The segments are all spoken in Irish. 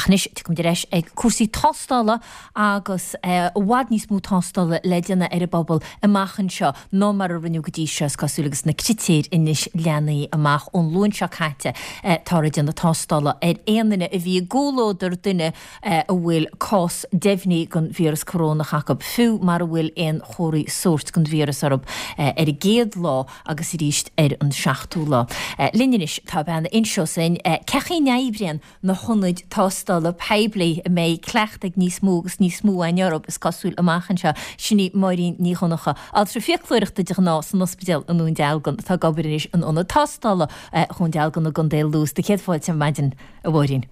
Ach anois, tiocfaimid ar ais ag cúrsaí tástála agus i bhfad níos mó tástála le déanamh ar an bpobal amach anseo ná mar a rinneadh go dtí seo, is cosúil, agus na critéir anois leathnaithe amach ón Luan seo caite. Táthar ag déanamh tástála ar aon duine a bhí i gcomhluadar duine a bhfuil cás deimhnithe den víreas corónach acu, fiú mara bhfuil aon chomharthaí sóirt den víreas orthu ar an gcéad lá agus arís ar an seachtú lá. Linn anois tá bean a inseos dúinn cén chaoi a n-oibríonn na hionaid tástála poiblí a mbeidh cleachtadh ag níos mó agus níos mó againn orthu, is cosúil, amach anseo. Sin í Máirín Ní Dhonncha, altra fiaclóireachta de ghnáth san ospidéal i nDún Dealgan, atá ag obair anois in ionad tástála Dhún Dealgan i gContae Lú. Is do chéad fáilte ar maidin, a Mháirín.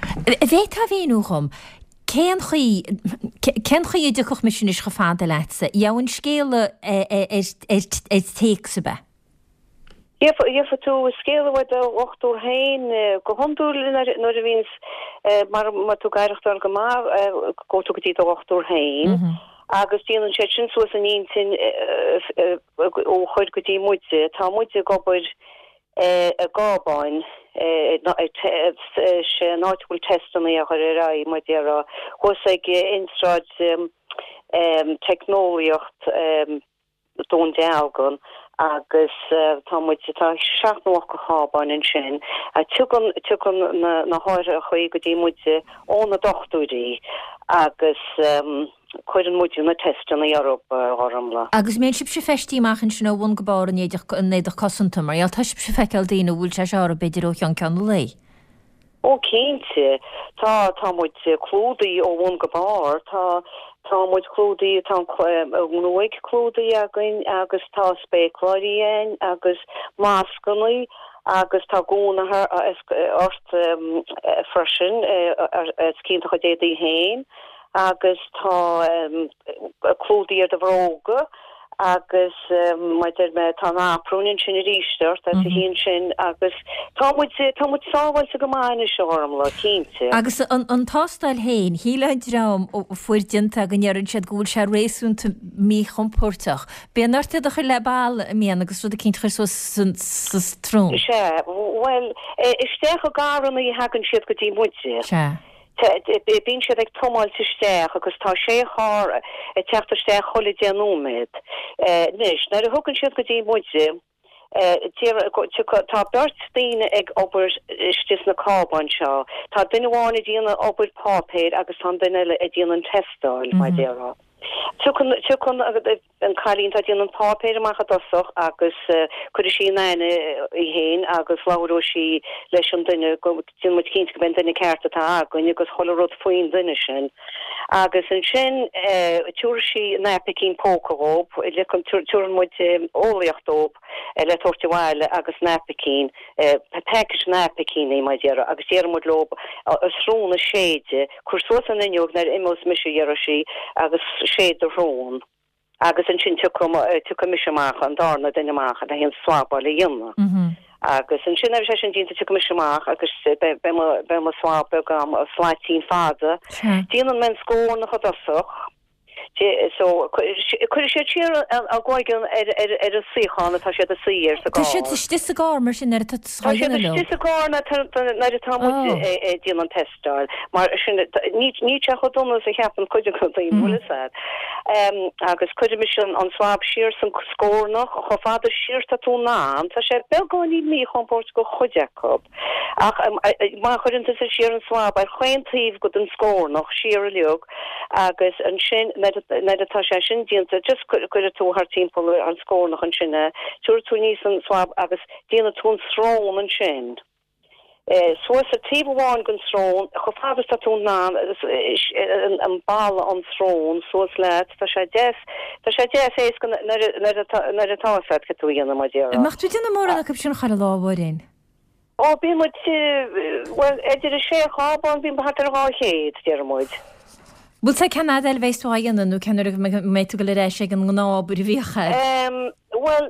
An bhféadfá a mhíniú dhom cén chaoi, cén chaoi a dtiocfadh mise anois chomh fada leatsa? Gheobhainn scéala ar téacs, ab ea? Gheobhaidh tú scéala uaidh do dhochtúir féin go hiondúil nuair a bhíonns, mar má tá tú ag aireachtáil go maith, gabhfaidh tú go dtí do dhochtúir féin agus déanann siad sin suas a n-intinn ó chur go dtí muide. Tá muid ag obair i gcábáin, sé an áit a bhfuil teisteanna á chur ar aghaidh, mar a déarfá, thuas ag Institiúid Teicneolaíocht Dún Dealgan agus tá muid, tá seacht nó ocht de chábáin ansin. Tiogann, tiogann na hárthachaí go dtí muide ó na dochtúirí agus. Cuireann muid na teisteanna orthu, a Ghormfhlaith. Agus mbíonn sibhse feistithe amach ansin ó bhun go barr in éadach, in éadach cosanta, mar gheall, tá sibhse ag feiceáil daoine a bhfuil sé seo orthu b'fhéidir ó cheann ceann an lae. Ó cinnte. Tá, tá muid clúdaithe ó bhun go barr. Tá, tá muid clúdaithe, tá an ghruaig clúdaithe againn agus tá spéacláirí againn agus mascannaí agus tá gúna ort freisin, os cionn do chuid éadaí féin. agus tá clúdaigh ar do bhróga agus mar a deir mé tá an aprún ansin arís ort as a chionn sin agus tá muid, tá muid sábháilte go maith anois a Ghormfhlaith, cinnte. Agus an tástáil féin, shíl an dream a fuair déanta go ndeireann siad go bhfuil sé réasúnta míchompóirteach. Bíonn ort iad a chur le balla, an mbíonn, agus rud eicínt a chur suas sa srón. Sea, bhuel, isteach i gcarrannaí a thagann siad go dtí muide. Sea. Bíonn siad ag tiomáilt isteach agus tá sé charr ag teacht isteach chuile deich nóiméad. Anois, nuair a thugann siad go dtí muide, tá beirt daoine ag obair istigh sna cábáin seo. Tá duine amháin ag déanamh obair páipéir agus tá an duine eile ag déanamh an tástáil, mar a déarfá. Tiocfaidh, tiocfaidh an cailín atá ag déanamh an páipéir amach i dtosach agus cuirfidh sí in aithne í féin agus labhróidh sí leis an duine go déanfaidh muid cinnte go mbeidh an duine ceart atá againn agus chuile rud faoin duine sin. Agus ansin tiúrfaidh sí naipicín póca dhób, tiúrann muid eolaíocht dóibh le tabhairt abhaile agus naipicín, packet naipicíní mar a déarfá agus déarfaidh muid leob a srón a séideadh, cuir suas an fhuinneog nuair a imeos mise a déarfaidh sí agus séid do shrón agus ansin tiocfaidh, tiocfaidh mise amach, an darna duine amach le haghaidh an swabáil a dhéanamh. Agus ansin nuair a bheidh sé sin déanta tiocfaidh mise amach agus beidh mo, beidh mo swab beag agam, slaitín fada. Déanann mé an scornach i dtosach. So, cuirfidh siad siar a gcloigeann ar an suíochán atá siad ag suí air sa gcarr. Tá siad istigh sa gcarr mar sin nuair atá tú Tá siad istigh sa gcarr nuair atá muid ag déanamh an tástáil. Mar sin, níl sé chomh dona is a cheapann cuid de na daoine, bhfuil fhios a'd. Agus cuirfidh mise an swab siar san scornach, chomh fada siar is atá tú in ann. Tá sé beagáinín míchompóirteach do chuid acu. Ach má chuireann tusa siar an swab ar chaon taobh go den scornach, siar uilig, agus ansin nuair atá sé sin déanta, just cuirfidh tú thart timpeall an scornach ansin é, tabharfaidh tú aníos an swab agus déanfaidh tú an srón ansin. Suas ar taobh amháin den srón, chomh fada is atá tú in ann, an balla an srón suas leat, tá sé deas, tá sé deas éasca nuair atá, nuair atá fhios a'd cad tú a dhéanamh mar déarfá. An mbeadh tú ag déanamh mórán acu sin chuile lá, a Mháirín? Ó, bíonn muid, bhuel, idir an sé chábán, bíonn thart ar 200, déarfaidh muid. Bhfuil sé cén fhad eile a bheas tú á dhéanamh nó cén uair a mbeidh tú ag dul ar ais ag an ngnáth-obair a bhíodh agat? Bhuel,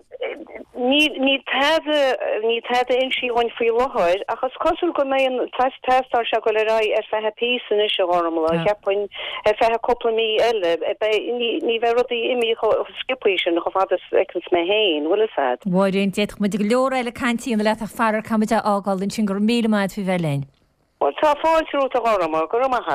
níl, níl tada, níl tada insithe dhúinn faoi láthair ach is cosúil go mbeidh an tástáil seo ag dul ar aghaidh ar feadh píosa anois, a Ghormfhlaith, cheapfainn, ar feadh cúpla mí eile. Beidh, ní, ní bheidh rudaí imithe chomh sciobthaí sin, chomh fada is a fheiceanns mé féin, bhfuil fhios a'd. Mháirín, d'fhéadfadh muid go leor eile cainte a dhéanamh leat ach faraor caithfidh muid é a fhágáil ansin. Go raibh míle maith agat faoi bheith linn. Bhuel, tá fáilte romhat a Ghorma, go raibh maith agat.